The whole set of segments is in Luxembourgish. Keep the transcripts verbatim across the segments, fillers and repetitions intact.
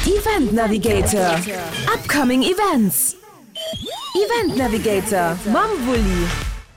Event Navigator, Upcoming Events. Event Navigator mam Wulli.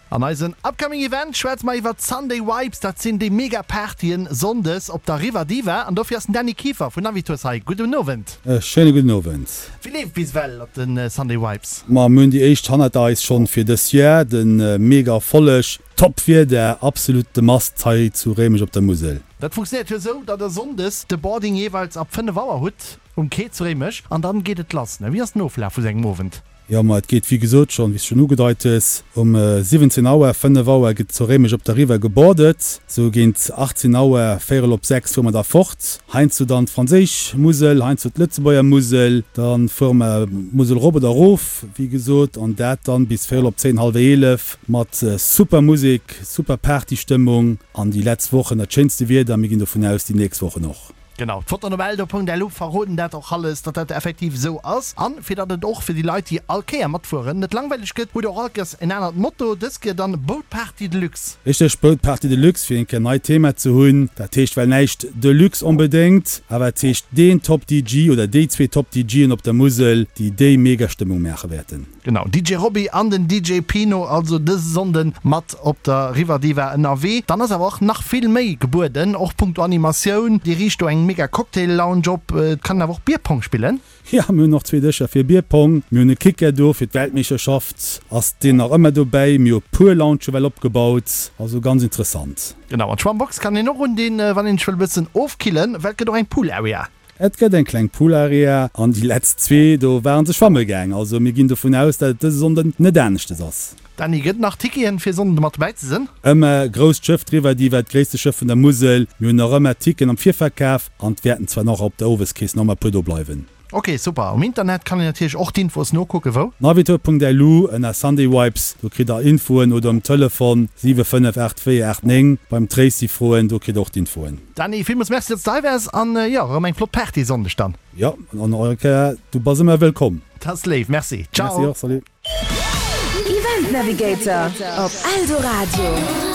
An eisen Upcoming Event schwätze mer iwwer d'Sunday Vibes, dat sinn déi mega Partyen sonndes op der River Diva an dofir ass den Dany Kieffer vun Navitours hei. Gudden Owend. E schéine gudden Owend. Wéi leeft bis ewell op de Sunday Vibes? Ma mir hunn déi éischt hannert eis schonn fir dës Joer, de mega Erfolleg, Top Wieder, absolut de Must hei zu Réimech op der Musel. Dat funktionéiert jo esou, datt der sonndes de Boarding jeeweils ab fënnef Auer hutt um Quai zu Réimech an dann geet et lass. Wéi ass den Oflaf vu sou engem Owend? Jo, ma et geet wéi gesot schonn, wéi s de schonn ugedeit hues, um siwwenzéng Auer, fënnef Auer gëtt zu Réimech op der River geboardet. Sou géint achtzéng Auer, véierel op sechs fuere mer da fort. Heiansdo dann d'franséisch Musel, heiansdo d'Lëtzebuerger Musel. Da fuere mer d'Musel erop oder erof, wéi gesot, an dat dann bis véierel op zéin, hallwer eelef. Mat super Musek, super Partystëmmung an déi letzt Wochen dat schéinste Wieder, mir ginn dovun aus déi nächst Wochen och. Genau, d'Fotoen op eldo.lu verroden dat och alles, datt dat effektiv esou ass. An fir datt et och fir déi Leit, déi all Kéier matfueren, net langweileg gëtt, hutt der och all Kéiers en anert Motto, dës Kéier dann Boat Party Deluxe. Richteg, Boat Party Deluxe, fir eng Kéier neit Thema ze hunn. Dat heescht well näischt Deluxe onbedéngt, awer et heescht deen Top D J oder déi zwee Top D J'en op der Musel, déi déi mega Stëmmung maache wäerten. Genau, D J Roby an den D J Pino also dëse Sonnden mat op der River Diva ënnerwee. Dann ass awer och nach vill méi gebueden, och punkto Animatioun. Dir riicht do eng mega Cocktail Lounge op, et kann een awer och Bierpong spillen. Jo, mir hunn och zwee Dëscher fir Bierpong. Mir hunn e Kicker do fir d'Weltmeeschterschaft, ass deen nach ëmmer dobäi. Mir hu puer Lounge well opgebaut, also ganz interessant. Genau, an d'Schwammbox kann een och undinn, wann een sech wëll e bëssen ofkillen, well et gëtt och eng Pool Area. Et gëtt eng kleng Pool Area an déi letzt zwee do waren se schwamme gaang. Also mir ginn dovun aus, dat et dëse Sonnden net aneschtes ass. Dany, gëtt nach Ticketen fir Sonnden mat dobäi ze sinn? Ëmmer grousst Schëff, d'River Diva, d'gréisste Schëff vun der Musel. Mir hunn nach ëmmer Ticketen am Virverkaf an et wäerten zwar nach op der Oweskeess nach ëmmer puer do bleiwen. Ok, super. Um Internet kann een natierlech och d'Infos nokucken. Wou? Navitor Punkt L U ënner Sunday Vibes, do kritt der Infoen oder um Telefon siwe fënnef aacht véier aacht néng beim Tracy froen, do kritt der och d'Infoen. Dany, villmools Merci, datt s de hei waars an jo, erëm eng flott Party Sonndeg dann. Jo, an och eng Kéier, du bass ëmmer wëllkomm. Dat ass léif, merci. Ciao. Merci och, salut. Event Navigator op Eldoradio.